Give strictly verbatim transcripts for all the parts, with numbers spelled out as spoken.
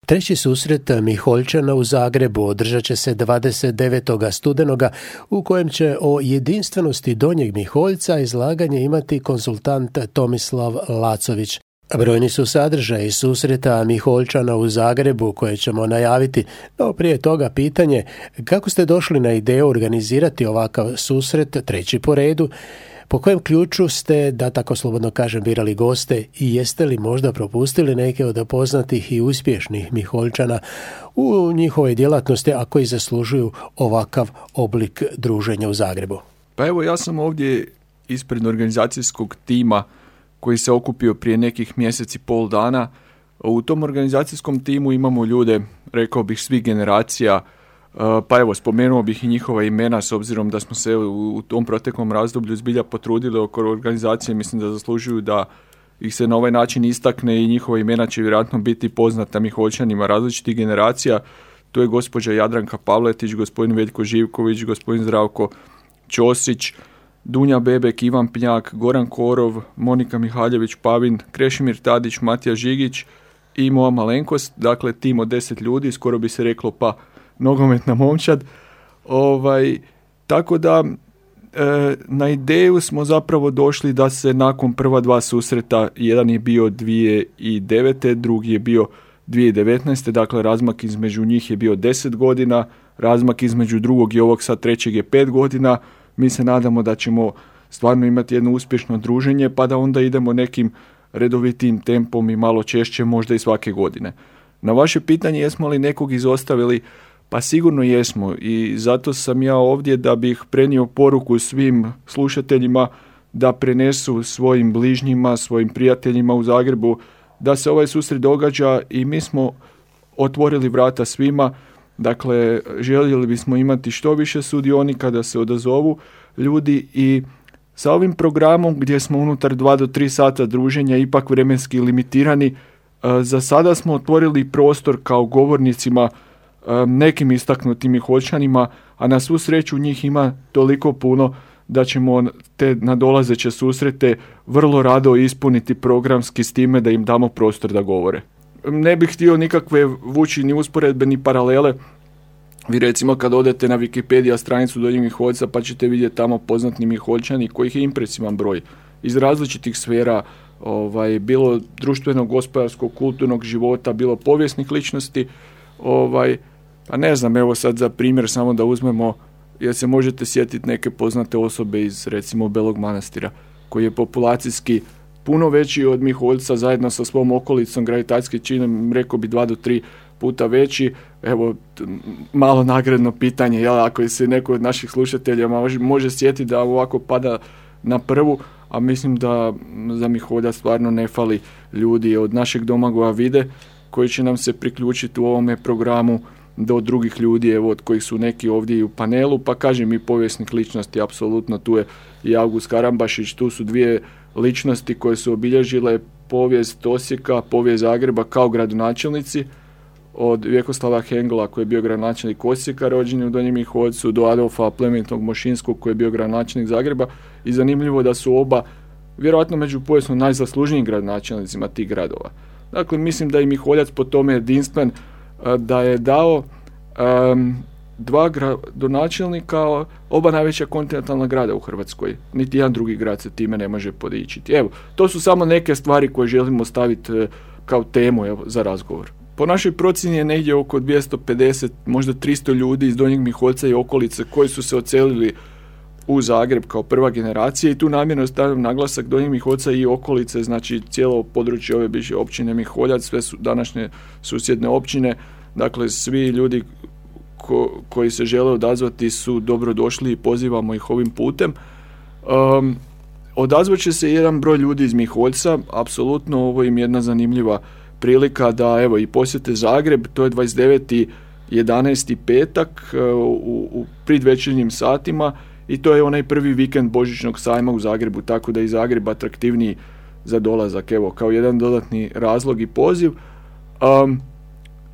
Treći susret Miholjčana u Zagrebu održat će se dvadeset devetog studenoga u kojem će o jedinstvenosti Donjeg Miholjca izlaganje imati konzultant Tomislav Lacović. Brojni su sadržaji susreta Miholjčana u Zagrebu koje ćemo najaviti, no prije toga pitanje kako ste došli na ideju organizirati ovakav susret, treći po redu, po kojem ključu ste, da tako slobodno kažem, birali goste i jeste li možda propustili neke od poznatih i uspješnih Miholjčana u njihovoj djelatnosti, a koji zaslužuju ovakav oblik druženja u Zagrebu? Pa evo, ja sam ovdje ispred organizacijskog tima koji se okupio prije nekih mjeseci i pol dana. U tom organizacijskom timu imamo ljude, rekao bih, svih generacija, pa evo, spomenuo bih i njihova imena s obzirom da smo se u tom proteklom razdoblju zbilja potrudili oko organizacije. Mislim da zaslužuju da ih se na ovaj način istakne i njihova imena će vjerojatno biti poznata Miholjčanima različitih generacija. Tu je gospođa Jadranka Pavletić, gospodin Veljko Živković, gospodin Zdravko Ćosić, Dunja Bebek, Ivan Pnjak, Goran Korov, Monika Mihaljević-Pavin, Krešimir Tadić, Matija Žigić i moja malenkost, dakle tim od deset ljudi, skoro bi se reklo pa nogometna momčad. Ovaj, tako da e, na ideju smo zapravo došli da se nakon prva dva susreta, jedan je bio dvije tisuće devete. drugi je bio dvije tisuće devetnaeste. Dakle razmak između njih je bio deset godina, razmak između drugog i ovog sad trećeg je pet godina. Mi se nadamo da ćemo stvarno imati jedno uspješno druženje, pa da onda idemo nekim redovitim tempom i malo češće, možda i svake godine. Na vaše pitanje jesmo li nekog izostavili, pa sigurno jesmo i zato sam ja ovdje da bih prenio poruku svim slušateljima da prenesu svojim bližnjima, svojim prijateljima u Zagrebu da se ovaj susret događa i mi smo otvorili vrata svima. Dakle, željeli bismo imati što više sudionika da se odazovu ljudi i sa ovim programom gdje smo unutar dva do tri sata druženja ipak vremenski limitirani, za sada smo otvorili prostor kao govornicima nekim istaknutim Miholjčanima, a na svu sreću njih ima toliko puno da ćemo te nadolazeće susrete vrlo rado ispuniti programski s time da im damo prostor da govore. Ne bih htio nikakve vući ni usporedbe ni paralele. Vi recimo kad odete na Wikipedia stranicu Donjeg Miholjca pa ćete vidjeti tamo poznatni Miholjčani kojih je impresivan broj iz različitih sfera, ovaj, bilo društvenog, gospodarskog, kulturnog života, bilo povijesnih ličnosti. Ovaj, pa ne znam, evo sad za primjer samo da uzmemo, jer se možete sjetiti neke poznate osobe iz recimo Belog Manastira koji je populacijski puno veći od Miholjca zajedno sa svom okolicom, gravitacijski činom, rekao bi dva do tri puta veći. Evo, malo nagradno pitanje, jel, ako se neko od naših slušatelja može, može sjetiti da ovako pada na prvu, a mislim da za Miholja stvarno ne fali ljudi od našeg Domagoja Vide koji će nam se priključiti u ovome programu do drugih ljudi, evo, od kojih su neki ovdje i u panelu, pa kažem i povijesnih ličnosti, apsolutno tu je i August Karambašić, tu su dvije ličnosti koje su obilježile povijest Osijeka, povijest Zagreba kao gradonačelnici, od Vjekoslava Hengela koji je bio gradonačelnik Osijeka, rođen u Donjem Miholjcu, do Adolfa Plemenitog Mošinskog koji je bio gradonačelnik Zagreba, i zanimljivo da su oba vjerojatno među povijesno najzaslužnijim gradonačelnicima tih gradova. Dakle, mislim da je Miholjac po tome jedinstven, da je dao um, dva gradonačelnika, oba najveća kontinentalna grada u Hrvatskoj. Niti jedan drugi grad se time ne može podičiti. Evo, to su samo neke stvari koje želimo staviti kao temu, evo, za razgovor. Po našoj procjeni je negdje oko dvjesto pedeset, možda tristo ljudi iz Donjeg Miholjca i okolice koji su se odselili u Zagreb kao prva generacija, i tu namjerno stavljam naglasak Donjeg Miholjca i okolice, znači cijelo područje ove bivše općine Miholjac, sve su današnje susjedne općine, dakle svi ljudi ko, koji se žele odazvati su dobrodošli i pozivamo ih ovim putem. Um, odazvat će se jedan broj ljudi iz Miholjca, apsolutno ovo im jedna zanimljiva prilika da evo i posjete Zagreb, to je dvadeset deveti jedanaesti petak u, u predvečernjim satima i to je onaj prvi vikend Božićnog sajma u Zagrebu, tako da je i Zagreb atraktivniji za dolazak, evo, kao jedan dodatni razlog i poziv. Um,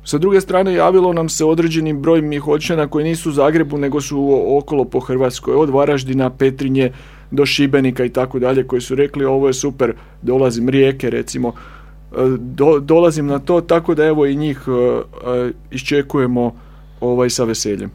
sa druge strane, javilo nam se određeni broj Miholjčana koji nisu u Zagrebu, nego su okolo po Hrvatskoj, od Varaždina, Petrinje do Šibenika i tako dalje, koji su rekli ovo je super, dolazim Rijeke recimo, do, dolazim na to, tako da evo i njih iščekujemo ovaj sa veseljem.